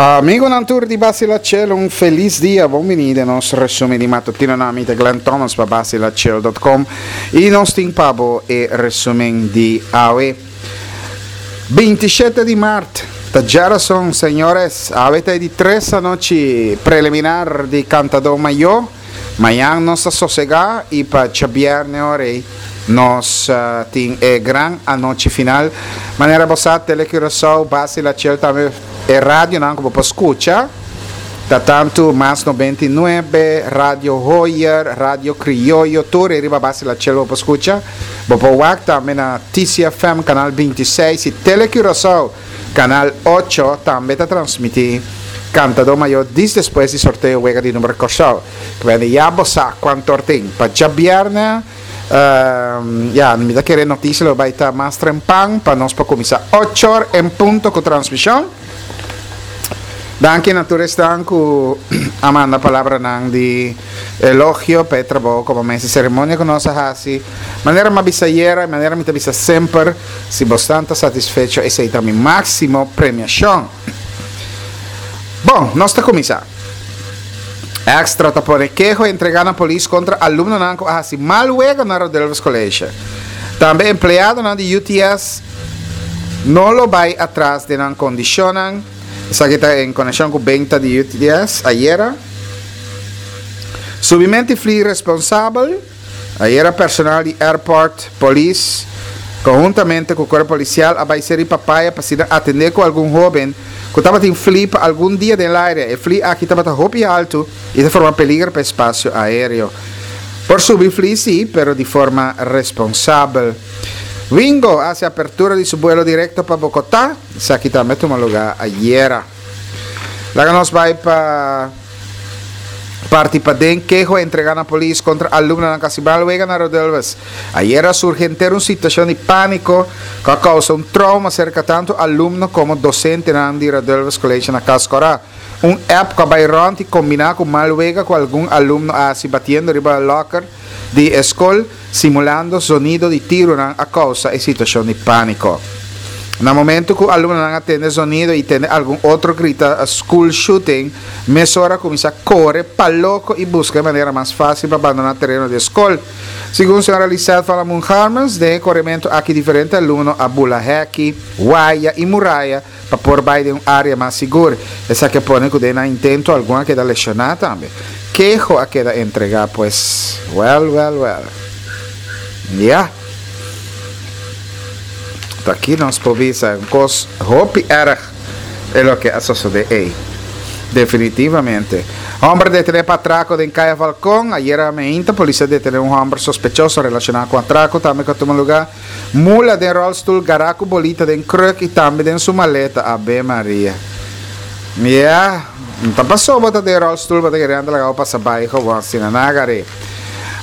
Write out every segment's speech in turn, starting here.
Amigonan tur di Bacilachel un felis dia, bon bini den nos resumen di matutino nan mi ta Glenn Thomas pa bacilachel dot com y nos tin pa bo e resumen di awe 27 di maart ta djarason señores awe ta e di tres anochi preliminar di Cantador Mayor. Mañan nos ta sosegá i pa djabièrnè ora ei nos tin e gran anochi final. Manera bo sa Tele Curaçao, Basi Lachel tambe e radionan ku bo por skucha ta tantu Mas 99, Radio Hoyer, Radio Krioyo, tur e riba Basi Lachel bo por skucha. Bo por wak tambe na TCFM kanal 26 i Tele Curaçao. Canal ocho tambe ta transmití Cantadó Mayó dis despues di sorteo wega di number Kòrsou. Kende ya bo sa kuantor tin. Pa djabièrnè, ya, mi ta kere notisia lo bai ta mas trempan pa nos por kuminsá ochor en punto ku transmishon. Danki na tur esnan ku a manda palabranan di elogio pa e trabou komo mes di seremonia ku nos a hasi. Manera mi a bisa ayera i manera mi ta bisa semper, Si bosnan ta satisfecho esei ta mi máksimo premiashon. Bon, nos ta kuminsá. Extra ta pone keho entregá na polis kontra alumnonan ku a hasi mal wega na Rodelves College. Tambe empleadonan di UTS no lo bai atras den nan kondishonnan. Esaki ta en konekshon ku benta di UTS ayera. Subimenti fli responsabel. Ayera personal di Airport Police conhuntamente cu Cuerpo Policial a bay Seri Papaya pa asina atende cu algun hoben cu tabatin fli pa algun dia den laire. E fli aki tabata hopi halto y ta forma peliger pa espacio aereo. Por subi fli si, pero di forma responsabel. Wingo a haci apertura di su buelo directo pa Bogota. Esaki tambe a tuma lugar ayera. Laga nos bai pa parti paden. Keho a entrega na polis kontra alumnonan ku a hasi mal wega na Rodelves. Ayera a surgi henter un situashon di pániko ku a kousa un trouma serka tantu alumno komo dosentenan di Rodelves College na Cas Cora. Un app ku a bai rònt i kombiná ku mal wega ku algun alumno a hasi batiendo riba lòker di e skol, Simulando zonido di tironan a kousa e situashon di pániko. Na momentu ku alumnonan a tende zonido i tende algun otro grita school shooting, mesora a kuminsá kore pa loko i buska e manera mas fásil pa bandoná tereno di e skol. Segun señora Lisette van Lamoen-Harmens, den e korementu aki diferente alumno a bula hèki, waya i muraya pa por bai den un área mas sigur. Esaki a pone ku den nan intento algun a keda leshoná tambe. Keho a keda entregá pues. Wèl, wèl, wèl. Ya. Ta aki nos por bisa un kos hopi èrg e loke a sosodé ei. Definitivamente. Hòmber detené pa atrako den Kaya Falcon. Ayera meinta polis a detené un hòmber sospechoso relashoná ku atrako tambe ku a tuma lugá. Mula den rolstoel, gará ku bolita den kruk i tambe den su maleta. Abe Maria. Ya, no ta paso bo ta den rolstoel bo ta kere anda laga bo pasa bai gewoon asina. Nan a gar'é.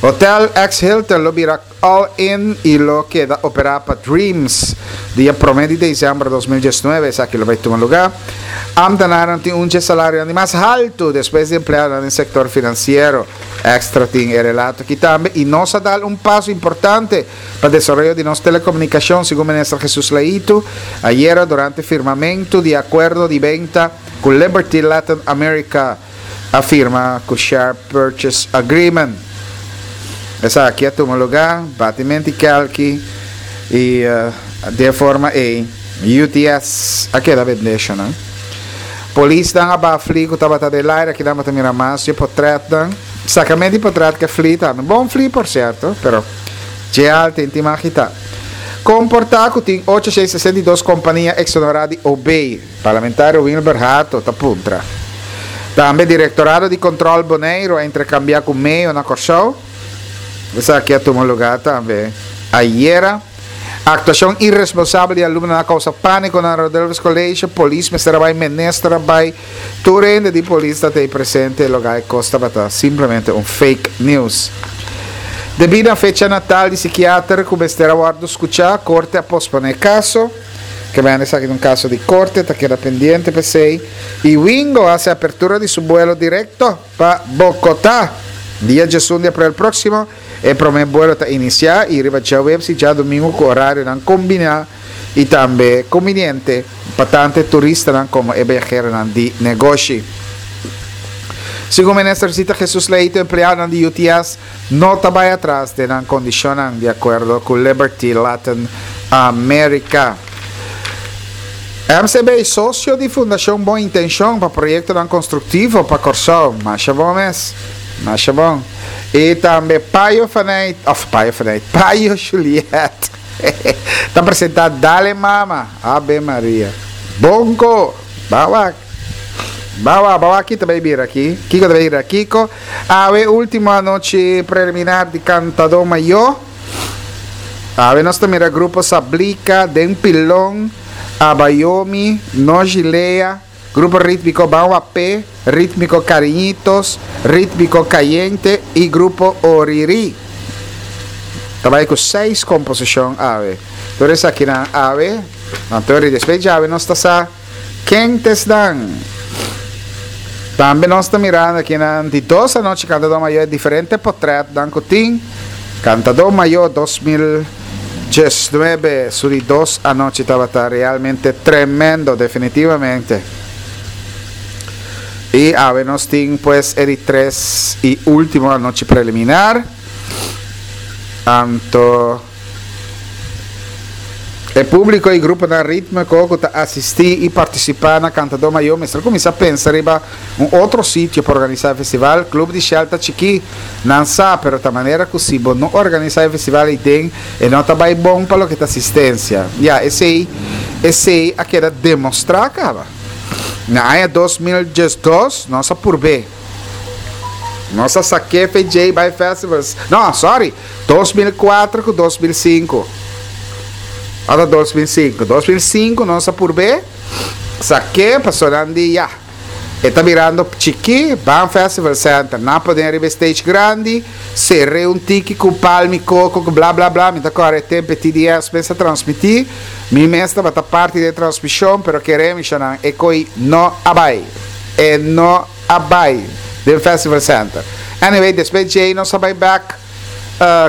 Hotel ex Hilton lo bira all in i lo keda operá pa Dreams dia promé di desèmber 2019. Esaki lo bai tuma lugá. Ámtenarnan tin un dje salarionan di mas haltu despues di empleadonan den sektor finansiero. Extra tin e relato aki tambe i nos a dal un paso importante pa desaroyo di nos telekomunikashon, segun Minister Jesus Leito ayera durante firmamentu di akuerdo di benta ku Liberty Latin America a firma ku Share Purchase Agreement. Esaki a tuma lugá batimenti kelki i di e forma ei UTS a keda bendeshonan. Polisnan a baha fli ku tabata den laire, akinan bo ta mira mas dje potretnan. Sakamenti di potret ke fli tambe. Bon fli por sierto, pero dje al tin tin magita. Komportá ku tin 862 kompania eksonerá di OB, Parlamentario Wilber Hato ta puntra. Tambe Direktorado di Kontrol Boneiru a interkambiá ku meo na Kòrsou. Esaki a tuma lugá tambe ayera. Aktuashon iresponsabel di alumnonan a kousa pániko na Rodelves College. Polis mester a bai, minister a bai. Tur hende di polis ta tei presente e loga e kos tabata simplemente un fake news. Debí na fecha natal di sikiater ku mester a wòrdu skuchá, korte a posponé e kaso. Ke mende esaki ta un kaso di korte, ta keda pendiente p'esei. I Wingo a hasi apertura di su buelo direkto pa Bogotá dia diesun di aprel próksimo. E promé buelo ta inisiá i riba djaweps i djadumingu ku orarionan kombiná i tambe kumbiniente. pa tanto e turistanan komo e biaheronan di negoshi. Segun Minister Zita Jesus Leito empleadonan di UTS no ta bai atras den nan kondishonnan, di akuerdo ku Liberty Latin America. MCB, sosio di Fundashon Bon Intenshon pa proyektonan konstruktivo pa Kòrsou. Masha bon mes. Masha bon. I tambe Payo Faneyt, òf Payo Faneyt, Payo Juliet ta presentá Dale Mama, Ave Maria. Bonko! Ban wak. Ban wak, ban wak ki ta bai bira aki. Kiko ta bai bira kiko? Awe último anochi preliminar di Kantadó Mayó. Awe nos ta mira grupo Sablika, Den Pilon, Abayomi, No Gilea, Grupo Rítmiko Ban Wapé, Rítmiko Kariñitos, Rítmiko Kayente i Grupo Orirí. Ta bai ku seis komposishon awe. Tur esakinan awe, anto ri despues djawe nos ta sa ken ta esnan. Tambe nos ta mirando akinan di dos anochi Kantadó Mayó e diferente potrètnan ku tin. Kantadó Mayó 2019 su di dos anochi tabata realmente tremendo, definitivamente. I awe nos tin pues e di tres i último anochi preliminar. Anto. E públiko i gruponan rítmiko ku ta asistí i partisipá na Kantadó Mayó mester kuminsá pensa riba un otro sitio pa organisá e festival. Club di Shell ta chikí, nan sa, pero ta manera ku si bo no organisá e festival ei den, e no ta bai bon pa loke ta asistensia. Ya, esei esei a keda demostrá kaba. Na aña 2012 nos a purb'é. Nos a sak'é FJ bai festivals. No, sorry! 2004 ku 2005. Ata 2005. 2005 nos a purb'é sak'é pasobra nan di ya, e ta birando chikí, ban Festival Center. Nan a pone riba e stage grandi, ser'é un tiki ku palm'i koko ku bla bla bla. Mi ta kòrda e tempu e TDS mes a transmití. Mi mes tabata parti di e transmishon, pero kere mi shonnan e koi no a bai. E no a bai den Festival Center. Anyway, despues djei nos a bai bek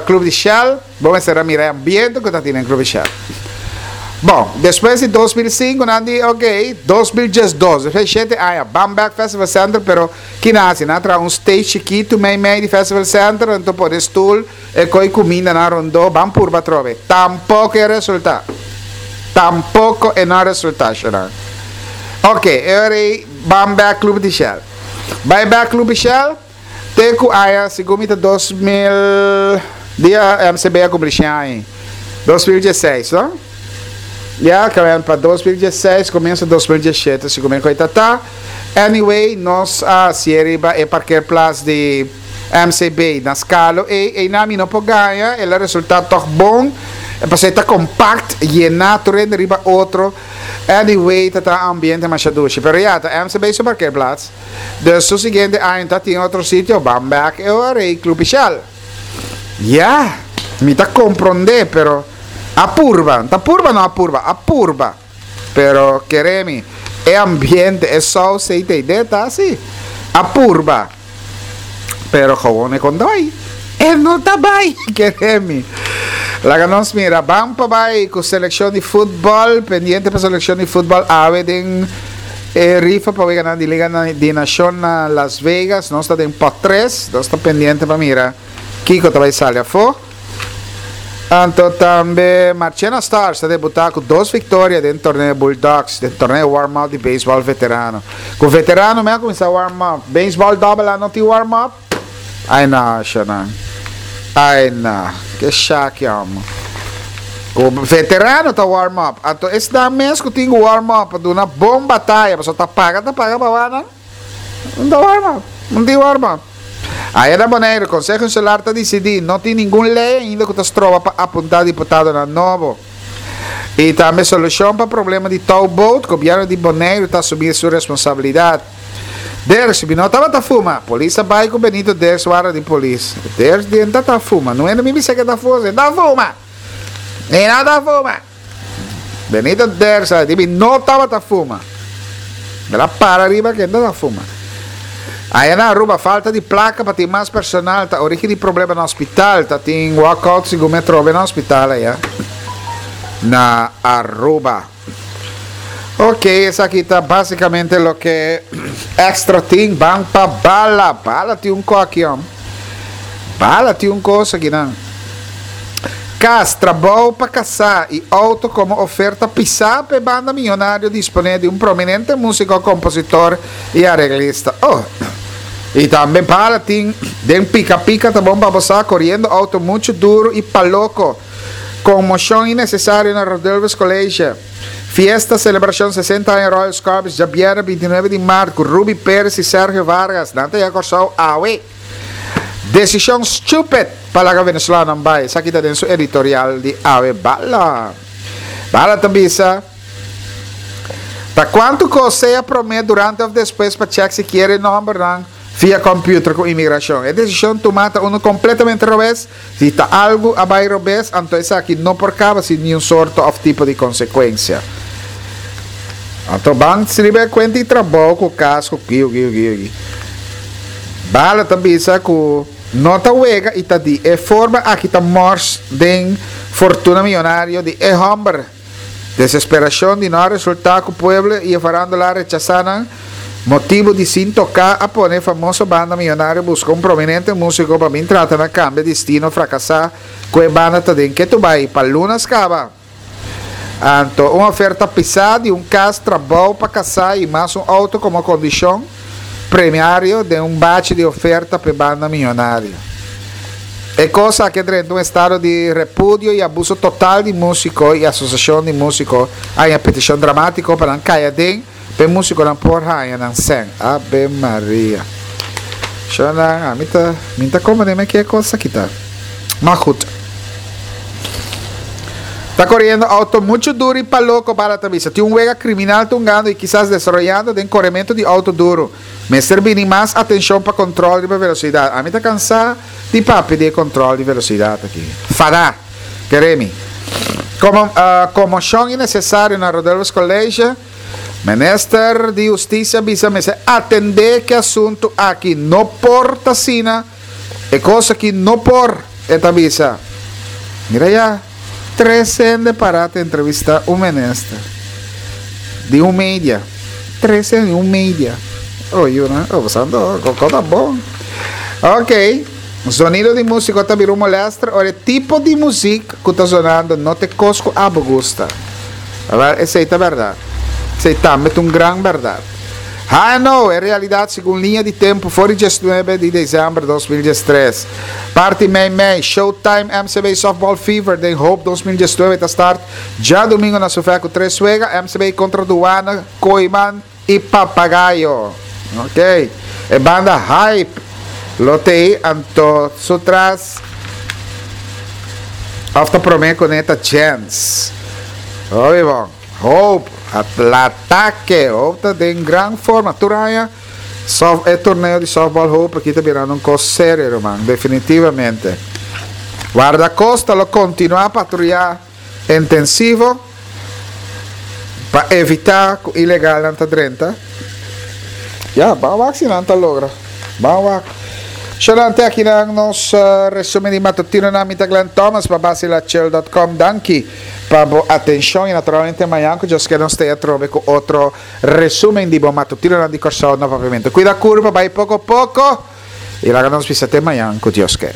Club di Shell. Bo mester a mira e ambiente ku ta tin den Club di Shell. Bon, despues di 2005 nan di ok, 2012, despues di shete aña, ban bek Festival Center, pero kina hasi? Nan a traha un stage chikitu mei mei di Festival Center, anto pone stoel, e koi kumindanan rondó, ban purba atrobe. Tampoko e resultá. Tampoko e no a resultá, shonnan. Ok, e ora ei ban bek Club di Shell. Bai bek Club di Shell, te ku aña, segun mi ta 2000, dia MCB a kumpli shen aña, 2016, no? Ya, kamen pa 2016, komienso 2017, segun mi koi ta ta. Anyway, nos a hasié riba e parkeerplaats di MCB na Skalo ei, einan mi no por gaña, el a resultá tòg bon, pasobra e ta kompakt, yená tur hende riba otro. Anyway, ta ta ambiente masha dushi. Pero ya, ta MCB su parkeerplaats. Dus su siguiente aña ta tin otro sitio, ban bek e ora ei Club Ishal. Ya, mi ta komprondé, pero a purba, ta purba no a purba, a purba. Pero kere mi, e ambiente, e saus ei ta idea ta asi. A purba. Pero gewoon e kon ta bai. E no ta bai, kere mi. Laga nos mira, ban pa bai ku selekshon di futbòl, pendiente pa selekshon di futbòl awe den e rifa pa weganan di Liga di Nashon na Las Vegas. Nos ta den pot tres, nos ta pendiente pa mira kiko ta bai sali afó. Anto tambe Marchena Stars ta debutá ku dos viktoria den torneo Bulldogs, den torneo warm-up di beisbòl veterano. Ku veterano mi a kuminsá warm-up. Beisbòl dòbel A no tin warm-up? Ai no, shonnan. Ai no. Ke shaki amo. Ku veterano ta warm-up. Anto esnan mes ku tin ku warm-up pa duna bon bataya, pasobra ta paga ta paga pa wak nan. Un ta warm up, un tin warm up. Aya na Boneiru, Konseho Insular ta disidí, no tin ningun lei ainda ku ta stroba pa apuntá diputadonan nobo. I tambe solushon pa problema di touwboot, gobièrnu di Boneiru ta asumí su responsabilidat. Ders, mi no tabata fuma. Polis a bai ku Benito Ders warda di polis. Ders di e ta fuma. No hende mi bisa ke ta fuma, e ta fuma! E no ta fuma! Benito Dersa di mi no tabata fuma. El a para riba ke no ta fuma. Aya na Aruba falta di placa pa tin mas personal ta origi di problema na hospital. Ta tin walkout segun mi a trobe na hospital aya na Aruba. Ok, esaki ta basicamente loke Extra tin. Ban pa Bala. Bala tin un koki, hom. Bala tin un kos aki nan. Kas, trabou pa kasá i outo komo oferta pisá pa e banda miyonario disponé di un prominente músiko, kompositor i areglista. Oh! I tambe Bala tin den pika pika ta bon pa bo sa, koriendo outo muchu duru i paloko. Konmoshon innesesario na Rodulfus College. Fiesta selebrashon 60 aña Royal Scorpions djabièrnè 29 di mart ku Ruby Perez i Sergio Vargas. Nan ta yega Kòrsou awe. Desishon stupid pa laga venezolanonan bai. Esaki ta den su editorial di awe. Bala. Bala ta bisa ta kuantu kos sea promé, durante òf despues pa chèk si kier e nòmbernan via kòmpiuter ku imigrashon. E desishon tumá ta unu kompletamente robes. Si ta algu a bai robes, anto esaki no por kaba sin niun sorto òf tipo di konsekuensia. Anto ban sriba e kuenta di trabou ku kas ku kiu kiu kiu kiu. Bala ta bisa ku no ta wega i ta di e forma aki ta mors den fortuna miyonario di e hòmber. Desesperacion di no a resulta cu pueblo y e farandola a rechasa nan, motibo di sin toca a pone e famoso banda miyonario busca un prominente musico pa bin trata na cambia destino fracasa cu e banda ta den ketu bay pa lunas caba. Anto un oferta pisa di un cas, trabou pa casa y mas un auto como condicion premiario den un bachi di oferta p'e banda miyonario. E kos aki a drenta un estado di repudio i abuso total di músiko i asosiashon di músiko a haña petishon dramátiko pa nan kai aden pa e músikonan por haña nan sèn. Abe Maria. Shonnan, ami ta, mi ta komprendé me ke e kos aki ta. Ma goed. Ta koriendo outo muchu duru i pa loko, Bala ta bisa. Tin un wega kriminal tungando i kisas desaroyando den korementu di outo duru. Mester bini mas atenshon pa kontrol riba velosidat. Ami ta kansá di papia di e kontrol di velosidat aki. Fadá! Kere mi. Komo komoshon innesesario na Rodolphus College, Minister di Hustisia bisa mester atendé ku e asuntu aki. No por ta asina. E kos aki no por, e ta bisa. Mira ya, tres hende pará ta entrevistá un minister di un media. Tres hende di un media. Oh, yuna, oh, pasando, koko ta bon. Ok, zonido di músiko ta bira un molèster ora e tipo di muzik ku ta zonando no ta e kos ku abo gusta. Awèl, esei ta bèrdat. Esei tambe ta un gran bèrdat. HNO, e realidat segun liña di tempu for di diesnuebe di desèmber 2013. Parti mei mei, Showtime MCB Softball Fever den Hope 2019 ta start djadumingu na Sufè ku tres wega, MCB kontra Duana, Kooiman i Papagayo. Ok, e banda Hype lo t'ei anto su tras òf ta promé kuné ta Jens. Hopi bon. Hope, Atake, Hope ta den gran forma tur aña. Soft, e torneo di softball Hope aki ta birando un kos serio, ruman, definitivamente. Guardacosta lo continua patruya intensivo pa evita cu ilegalnan ta drenta. Ya, ban wak si nan ta logra. Ban wak. Shonan te akinan nos resumen di matutinonan. Mi ta Glenn Thomas pa basilachel.com. Danki pa bo atenshon i naturalmente mañan ku Dios ke nos ta atrobe ku otro resumen di bo matutinonan di Kòrsou na Papiamentu. Kuida kurpa bai poko poko i laga nos bisa te mañan ku Dios ke.